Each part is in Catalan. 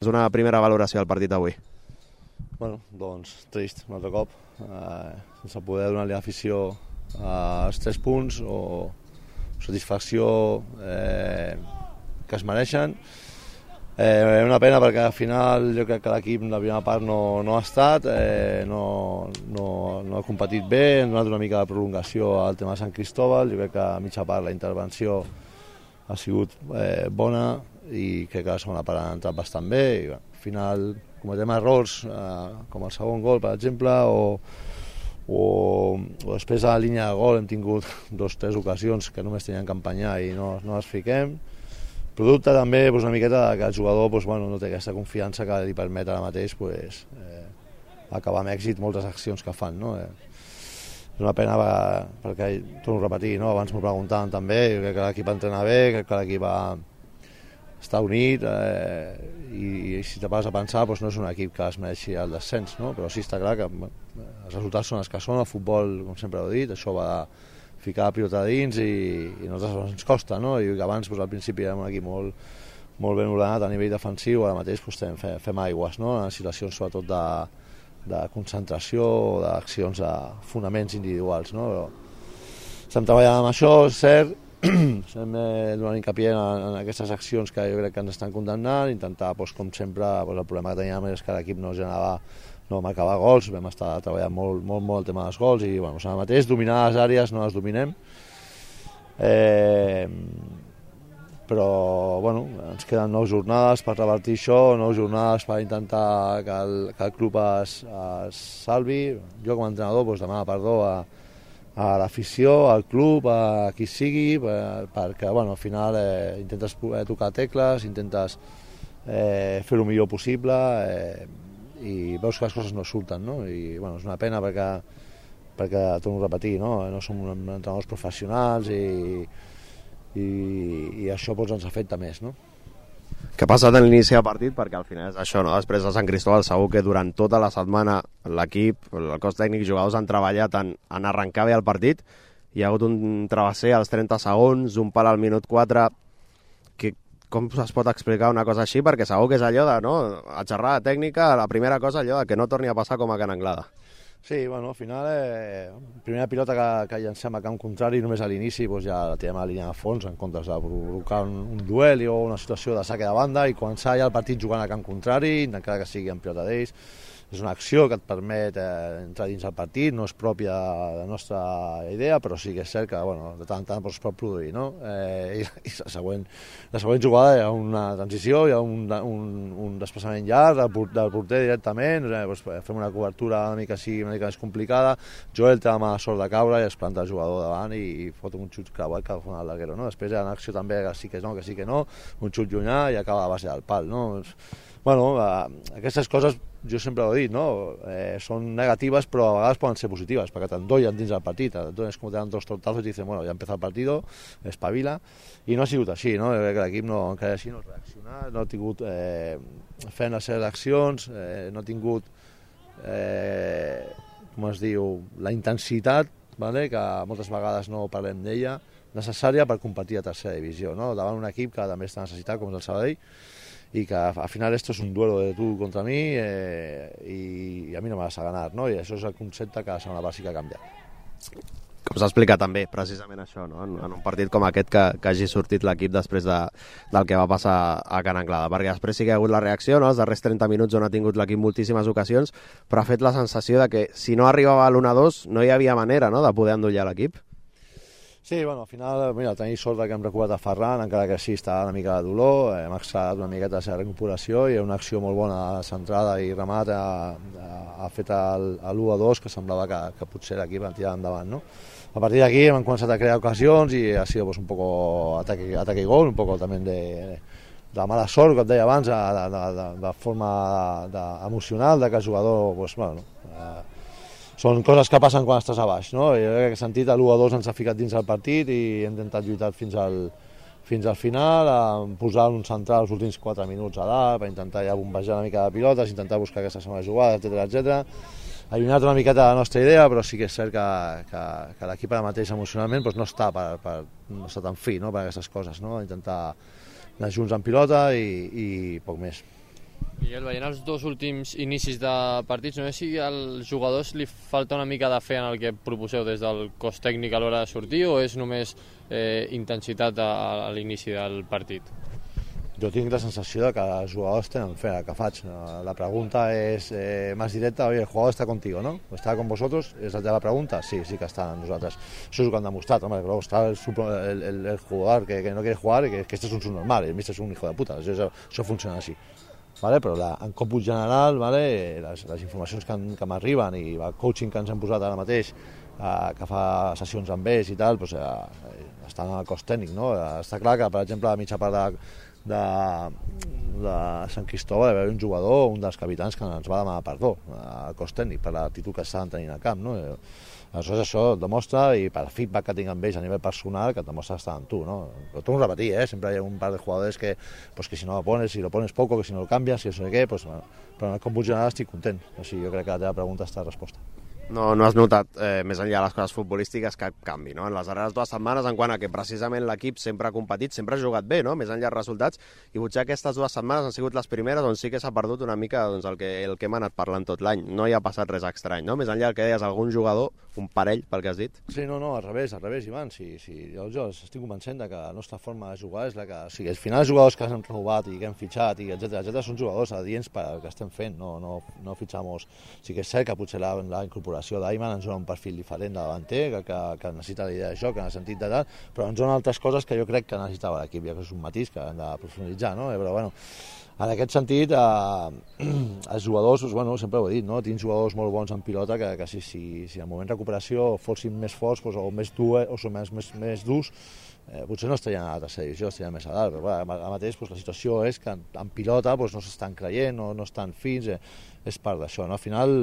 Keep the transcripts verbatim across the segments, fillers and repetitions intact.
És una primera valoració del partit d'avui. Bueno, doncs trist, un altre cop, eh, sense poder donar-li a l'afició eh, els tres punts o satisfacció eh, que es mereixen. Eh, una pena perquè al final jo crec que l'equip la primera part no, no ha estat, eh, no, no, no ha competit bé, hem donat una mica de prolongació al tema de Sant Cristóbal, jo crec que a mitja part la intervenció ha sigut eh, bona i crec que la segona part ha entrat bastant bé i bueno, al final cometem errors eh, com el segon gol per exemple o, o, o després a la línia de gol hem tingut dos o tres ocasions que només tenien que empenyar i no, no les fiquem. Producte també doncs, una miqueta que el jugador doncs, bueno, no té aquesta confiança que li permet ara mateix doncs, eh, acabar amb èxit moltes accions que fan. No? Eh, és una pena perquè, torno a repetir, no? Abans m'ho preguntaven també, jo crec que l'equip entrena bé, crec que l'equip està unit eh, i, i si te vas a pensar doncs, no és un equip que es mereixi el descens, no? Però sí està clar que bueno, els resultats són els que són, el futbol, com sempre he dit, això va de ficar la pilota dins i, i a nosaltres ens costa, no? I abans doncs, al principi érem un equip molt, molt ben ordenat a nivell defensiu, ara mateix doncs, fem, fem aigües, no? En situacions sobretot de, de concentració o d'accions de fonaments individuals, no? Però estem treballant amb això, és cert, estem eh, donant hincapié en, en aquestes accions que jo crec que ens estan condemnant, intentar, doncs, com sempre, doncs, el problema que teníem és que l'equip no generava no marcava gols, vam estar treballant molt, molt, molt el tema dels gols i bueno, ara mateix dominar les àrees no les dominem, eh, però bueno, ens queden nou jornades per revertir això, nou jornades per intentar que el, que el club es, es salvi. Jo com a entrenador doncs, demano perdó a, a l'afició, al club, a qui sigui, per, perquè bueno, al final eh, intentes tocar tecles, intentes eh, fer el millor possible, eh, i veus que les coses no surten, no? I bueno, és una pena perquè, perquè torno a repetir, no? No som entrenadors professionals i, i, i això doncs, ens afecta més, no? Què ha passat en l'inici del partit? Perquè al final és això, no? Després de Sant Cristóbal segur que durant tota la setmana l'equip, el cos tècnic i jugadors han treballat en, en arrencar bé el partit. Hi ha hagut un travesser als trenta segons, un pal al minut quatre. Que com es pot explicar una cosa així? Perquè segur que és allò de, no? A xerrada tècnica, la primera cosa allò de que no torni a passar com a Can Anglada. Sí, bueno, al final, eh, primera pilota que, que llancem a camp contrari, només a l'inici doncs ja la tirem a la línia de fons en comptes de provocar un, un duel o una situació de saque de banda i començar ja el partit jugant a camp contrari, encara que sigui en pilota d'ells. És una acció que et permet eh, entrar dins el partit, no és pròpia de la nostra idea, però sí que és cert que bueno, de tant en tant es pot produir. No? Eh, I i la, següent, la següent jugada hi ha una transició, hi ha un, un, un desplaçament llarg del, del porter directament, eh, doncs fem una cobertura una mica, sí, una mica més complicada, Joel té la mala sort de caure i es planta el jugador davant i, i fot un xut creuat que fa el larguero. No? Després hi ha una acció també que sí que no, que sí que no, un xut llunyà i acaba a la base del pal. No? Bueno, eh, aquestes coses jo sempre ho he dit, no? Eh, són negatives però a vegades poden ser positives perquè t'endollen dins del partit, t'endones com te dan dos tortazos i dicen, bueno, ja empieza el partido, espavila, i no ha sigut així, no? Jo crec que l'equip no, encara així no ha reaccionat, no ha tingut eh, fent les seves accions, eh, no ha tingut eh, com es diu, la intensitat, vale? Que moltes vegades no parlem d'ella, necessària per competir a tercera divisió, no? Davant un equip que també està necessitat, com és el Sabadell, y que al final esto es un duelo de tú contra mí eh, y, y a mí no me vas a ganar, no? I això és el concepte que la segona bàsica ha canviat. Com s'explica també, precisament això, no? En, en un partit com aquest que, que hagi sortit l'equip després de, del que va passar a Can Anglada, perquè després sí que ha hagut la reacció, no? Els darrers trenta minuts on ha tingut l'equip moltíssimes ocasions, però ha fet la sensació de que si no arribava a l'u a dos no hi havia manera, no?, de poder endollar l'equip. Sí, bueno, al final, mira, tenim sort que hem recuperat a Ferran, encara que sí està una mica de dolor, hem accelerat una miqueta la seva recuperació i una acció molt bona centrada i remat ha, ha fet l'u a dos que semblava que, que potser l'equip en tirava endavant, no? A partir d'aquí hem començat a crear ocasions i ha sido pues, un poco ataque, ataque y gol, un poco también de, de mala sort, com et deia abans, de, de, de, de forma de, de emocional, de que el jugador, pues, bueno, eh, són coses que passen quan estàs a baix, no? I en aquest sentit l'u a dos ens ha ficat dins el partit i hem intentat lluitar fins al, fins al final, a posar un central els últims quatre minuts a dalt per intentar ja bombejar una mica de pilotes, intentar buscar aquesta segona jugada, etcètera, etcètera. Ha allunyat una miqueta la nostra idea, però sí que és cert que, que, que l'equip ara mateix emocionalment doncs no està per, per, no està tan fi, no? Per aquestes coses, no? Intentar anar junts en pilota i, i poc més. Miguel, veient els dos últims inicis de partits, no sé si als jugadors li falta una mica de fe en el que proposeu des del cos tècnic a l'hora de sortir o és només eh, intensitat a, a l'inici del partit? Jo tinc la sensació de que els jugadors tenen fe, que faig. La pregunta és eh, més directa, oye, el jugador està contigo, ¿no? ¿Está con vosotros? ¿Es la pregunta? Sí, sí que está en nosaltres. Això és el que han demostrat, home, luego està el, el, el, el jugador que, que no quiere jugar y que, que este es un subnormal, el míster és un hijo de puta, això, això funciona així. Vale? Però la, en còmput general, vale, les, les informacions que, que m'arriben i el coaching que ens hem posat ara mateix, eh, que fa sessions amb ells i tal, doncs, eh, estan al cos tècnic, no? Està clar que, per exemple, a mitja part de, de, de Sant Cristóbal va haver un jugador, un dels capitans, que ens va demanar perdó al cos tècnic per l'actitud que estaven tenint al camp, no? Aleshores això et demostra, i per feedback que tinc amb ells a nivell personal, que et demostra estar amb tu, no? Lo torno a repetir, ¿eh? Siempre hay un par de jugadores que, pues, que si no lo pones, si lo pones poco, que si no lo cambias, si no sé què, pues, bueno, però en el còmput general estic content. Així jo crec que la teva pregunta està resposta. No, no has notat, eh, més enllà de les coses futbolístiques, cap canvi, no? En les darreres dues setmanes, en quant a que precisament l'equip sempre ha competit, sempre ha jugat bé, no? Més enllà dels resultats, i potser aquestes dues setmanes han sigut les primeres on sí que s'ha perdut una mica doncs, el, que, el que hem anat parlant tot l'any. No hi ha passat res estrany, no? Més enllà del que deies, algun jugador, un parell, pel que has dit. Sí, no, no, al revés, al revés, Ivan. Sí, sí, jo, jo estic convencent que la nostra forma de jugar és la que... O sigui, al final els jugadors que han renovat i que hem fitxat, i etcètera, etcètera, són jugadors adients per al que estem fent, no, no, no fitxamos... Sí que és cert que potser la, la incorporació d'Ayman ens dona un perfil diferent de davanter, que, que, que necessita la idea de joc, en el sentit de tal, però ens dona altres coses que jo crec que necessitava l'equip, ja que és un matís que hem de profunditzar, no? Però bueno, en aquest sentit, eh, els jugadors, doncs, bueno, sempre ho he dit, no? Tinc jugadors molt bons en pilota que, que si, si, si en moment de recuperació fossin més forts doncs, o més durs, o són més, més, més durs, eh, potser no estarien a la tercera divisió, estarien més a dalt, però bueno, ara mateix doncs, la situació és que en, en pilota doncs, no s'estan creient, no, no estan fins, eh, és part d'això, no? Al final,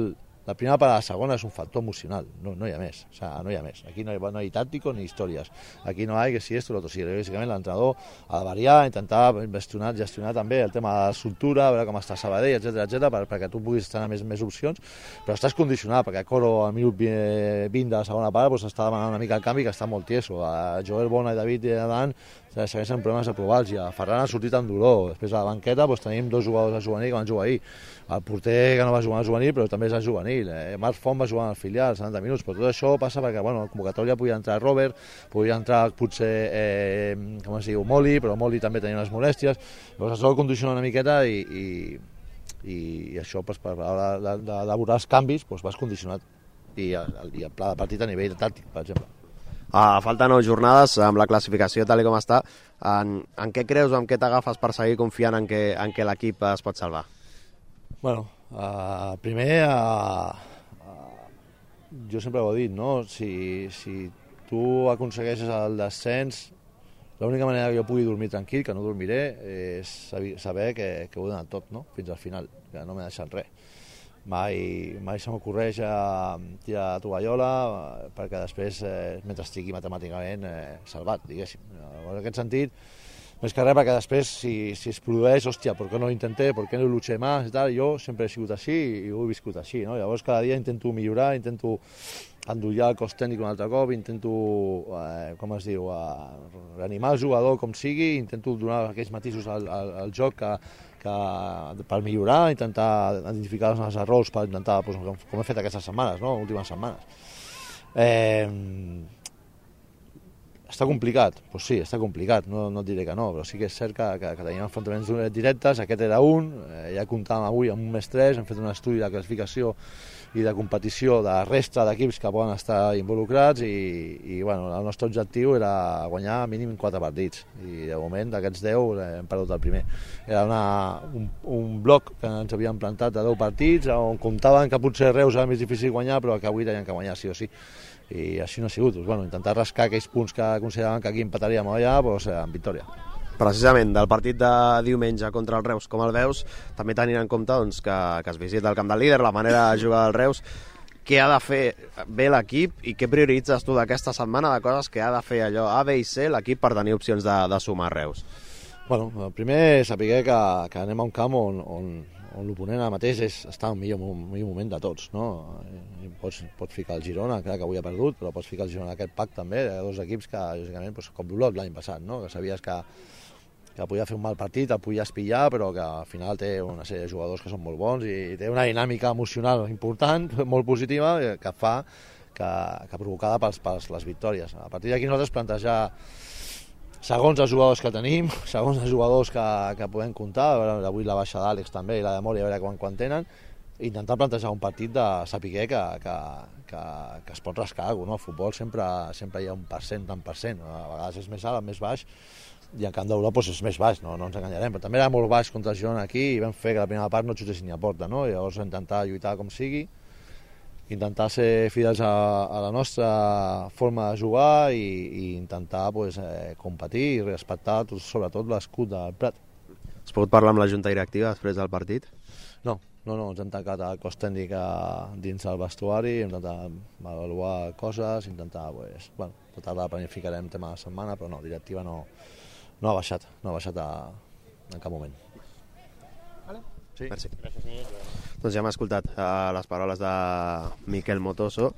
la primera para la segona és un factor emocional, no, no hi ha més, o sea, no hi ha més. Aquí no hi, no hi tàctico ni històries. Aquí no hi ha que si esto o l'altre. Sí, bàsicament l'entrenador ha de variar, intentar gestionar, gestionar també el tema de la estructura, veure com està Sabadell, etcètera, etcètera, per, perquè tu puguis tenir més, més opcions, però estàs condicionat, perquè Coro al minut vint de la segona part doncs, està demanant una mica el canvi que està molt tieso. A Joel Bona i David Adán segueixen problemes aprovals, i a Ferran ha sortit amb dolor. Després a la banqueta doncs, tenim dos jugadors de juvenil que van jugar ahir. El porter que no va jugar al juvenil, però també és al juvenil. Eh, Marc Font va jugar al filial, setanta minuts, però tot això passa perquè, bueno, a la convocatòria podia entrar Robert, podia entrar potser, eh, com es diu, Moli, però Moli també tenia unes molèsties. Llavors això ho condiciona una miqueta i, i, i, i això, doncs, per l'hora d'elaborar els canvis, doncs, vas condicionat. I el, i el pla de partit a nivell tàctic, per exemple. A falta nou jornades, amb la classificació tal com està, en, en què creus o en què t'agafes per seguir confiant en què, en què l'equip es pot salvar? Bueno, uh, primer, uh, uh, jo sempre ho he dit, no? Si, si tu aconsegueixes el descens, l'única manera que jo pugui dormir tranquil, que no dormiré, és saber que, que ho he donat tot, no? Fins al final, que no m'he deixat res. Mai, mai se m'ocorreix tirar la tovallola, perquè després, eh, mentre estigui matemàticament eh, salvat, diguéssim. En aquest sentit, més que res, perquè després, si, si es produeix, hòstia, per què no ho intenté, per què no ho luché més i tal, jo sempre he sigut així i ho he viscut així, no? Llavors cada dia intento millorar, intento endollar el cos tècnic un altre cop, intento, eh, com es diu, eh, reanimar el jugador com sigui, intento donar aquells matisos al, al, al joc que, que, per millorar, intentar identificar els errors, per intentar, doncs, com, com he fet aquestes setmanes, no? Últimes setmanes. Eh, Està complicat? Doncs pues sí, està complicat, no, no et diré que no, però sí que és cert que, que, que tenim enfrontaments directes, aquest era un, eh, ja comptàvem avui amb un més tres, hem fet un estudi de classificació i de competició de la resta d'equips que poden estar involucrats i, i bueno, el nostre objectiu era guanyar mínim quatre partits i de moment d'aquests deu hem perdut el primer. Era una, un, un bloc que ens havíem plantat de deu partits on comptaven que potser Reus era més difícil guanyar però que avui tenien que guanyar sí o sí. I així no ha sigut, doncs, bueno, intentar rascar aquells punts que consideraven que aquí empataríem allà doncs, amb victòria. Precisament, del partit de diumenge contra el Reus, com el veus, també tenint en compte doncs, que, que es visita el camp del líder, la manera de jugar del Reus, què ha de fer bé l'equip i què prioritzes tu d'aquesta setmana de coses que ha de fer allò A, B i C l'equip per tenir opcions de, de sumar Reus? Bueno, primer saber que, que anem a un camp on, on, on l'oponent ara mateix és, està en el millor, millor moment de tots, no? Pots, pots ficar el Girona, clar que avui ha perdut, però pots ficar el Girona en aquest pack també, de dos equips que, lògicament, doncs, com l'Olot l'any passat, no? Que sabies que, que podia fer un mal partit, el podia espillar, però que al final té una sèrie de jugadors que són molt bons i té una dinàmica emocional important, molt positiva, que fa que, que provocada pels, pels les victòries. A partir d'aquí nosaltres plantejar, segons els jugadors que tenim, segons els jugadors que, que podem comptar, avui la baixa d'Àlex també i la de Mori, a veure quan, quan tenen, intentar plantejar un partit de saber que, que, que, que es pot rascar alguna cosa, no? Al futbol sempre, sempre hi ha un percent, tant per cent, a vegades és més alt, més baix, i en camp d'Europa doncs és més baix, no, no ens enganyarem, però també era molt baix contra el Girona aquí i vam fer que la primera part no xutessin ni a porta, no? I llavors intentar lluitar com sigui, intentar ser fidels a, a la nostra forma de jugar i, i intentar pues, eh, competir i respectar tot, sobretot l'escut del Prat. Has pogut parlar amb la junta directiva després del partit? No, no, no, ens hem tancat el cos tècnic dins del vestuari, hem intentat avaluar coses, intentar, pues, bueno, tota tarda planificarem tema de setmana, però no, directiva no, no ha baixat, no ha baixat a, en cap moment. Vale. Sí. Merci. Gràcies, doncs ja hem escoltat uh, les paraules de Miquel Motoso.